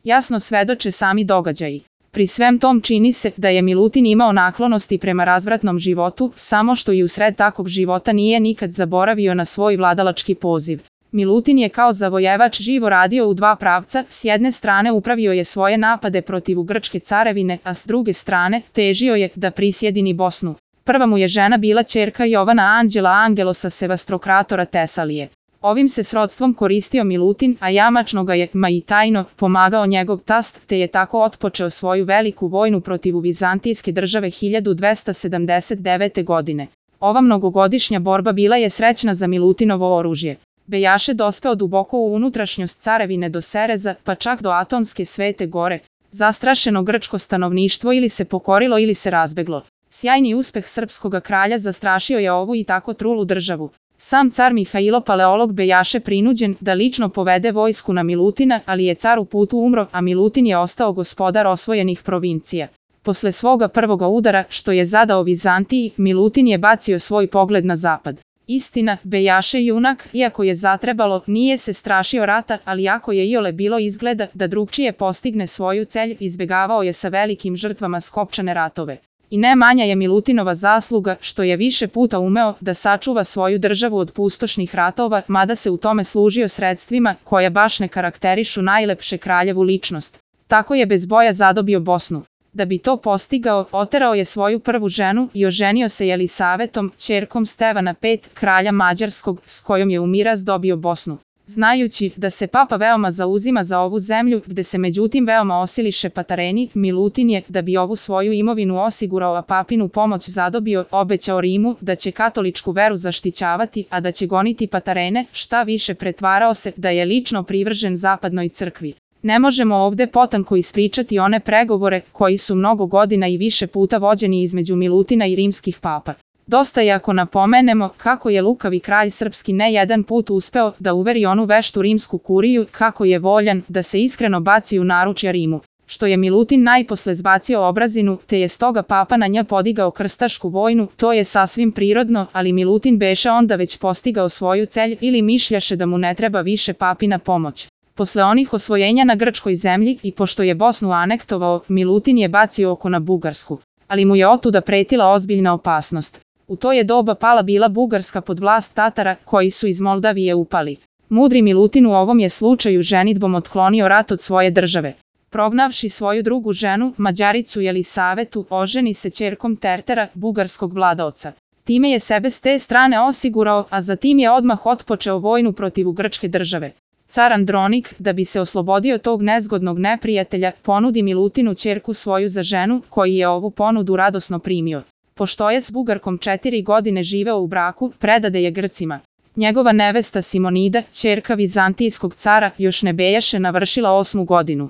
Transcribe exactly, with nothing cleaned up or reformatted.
jasno svedoče sami događaji. Pri svem tom čini se da je Milutin imao naklonosti prema razvratnom životu, samo što i usred takvog života nije nikad zaboravio na svoj vladalački poziv. Milutin je kao zavojevač živo radio u dva pravca, s jedne strane upravio je svoje napade protiv Grčke carevine, a s druge strane težio je da prisjedini Bosnu. Prva mu je žena bila ćerka Jovana Anđela Angelosa Sevastrokratora Tesalije. Ovim se srodstvom koristio Milutin, a jamačno ga je, ma i tajno, pomagao njegov tast, te je tako otpočeo svoju veliku vojnu protiv vizantijske države hiljadu dvesta sedamdeset devete. godine. Ova mnogogodišnja borba bila je srećna za Milutinovo oružje. Bejaše dospeo duboko u unutrašnjost carevine do Sereza, pa čak do Atonske Svete Gore. Zastrašeno grčko stanovništvo ili se pokorilo ili se razbeglo. Sjajni uspeh srpskoga kralja zastrašio je ovu i tako trulu državu. Sam car Mihailo Paleolog bejaše prinuđen da lično povede vojsku na Milutina, ali je car u putu umro, a Milutin je ostao gospodar osvojenih provincija. Posle svoga prvoga udara, što je zadao Vizantiji, Milutin je bacio svoj pogled na zapad. Istina, bejaše junak, iako je zatrebalo, nije se strašio rata, ali ako je iole bilo izgleda da drugčije postigne svoju celj, izbegavao je sa velikim žrtvama skopčane ratove. I ne manja je Milutinova zasluga što je više puta umeo da sačuva svoju državu od pustošnih ratova, mada se u tome služio sredstvima koja baš ne karakterišu najlepše kraljevu ličnost. Tako je bez boja zadobio Bosnu. Da bi to postigao, oterao je svoju prvu ženu i oženio se Jelisavetom, ćerkom Stevana pet, kralja Mađarskog, s kojom je u miraz dobio Bosnu. Znajući da se papa veoma zauzima za ovu zemlju, gde se međutim veoma osiliše patareni, Milutin je, da bi ovu svoju imovinu osigurao a papinu pomoć zadobio, obećao Rimu da će katoličku veru zaštićavati, a da će goniti patarene, šta više pretvarao se da je lično privržen zapadnoj crkvi. Ne možemo ovde potanko ispričati one pregovore koji su mnogo godina i više puta vođeni između Milutina i rimskih papa. Dosta je ako napomenemo kako je lukavi kralj srpski ne jedan put uspeo da uveri onu veštu rimsku kuriju kako je voljan da se iskreno baci u naručja Rimu, što je Milutin najposle zbacio obrazinu, te je stoga papa na nja podigao krstašku vojnu, to je sasvim prirodno, ali Milutin beše onda već postigao svoju celj ili mišljaše da mu ne treba više papina pomoć. Posle onih osvojenja na grčkoj zemlji i pošto je Bosnu anektovao, Milutin je bacio oko na Bugarsku, ali mu je otuda pretila ozbiljna opasnost. U to je doba pala bila Bugarska pod vlast Tatara, koji su iz Moldavije upali. Mudri Milutin u ovom je slučaju ženidbom otklonio rat od svoje države. Prognavši svoju drugu ženu, Mađaricu Jelisavetu, oženi se ćerkom Tertera, bugarskog vladaoca. Time je sebe s te strane osigurao, a zatim je odmah otpočeo vojnu protiv grčke države. Car Andronik, da bi se oslobodio tog nezgodnog neprijatelja, ponudi Milutinu ćerku svoju za ženu, koji je ovu ponudu radosno primio. Pošto je s Bugarkom četiri godine živeo u braku, predade je Grcima. Njegova nevesta Simonida, ćerka vizantijskog cara, još ne bejaše navršila osmu godinu.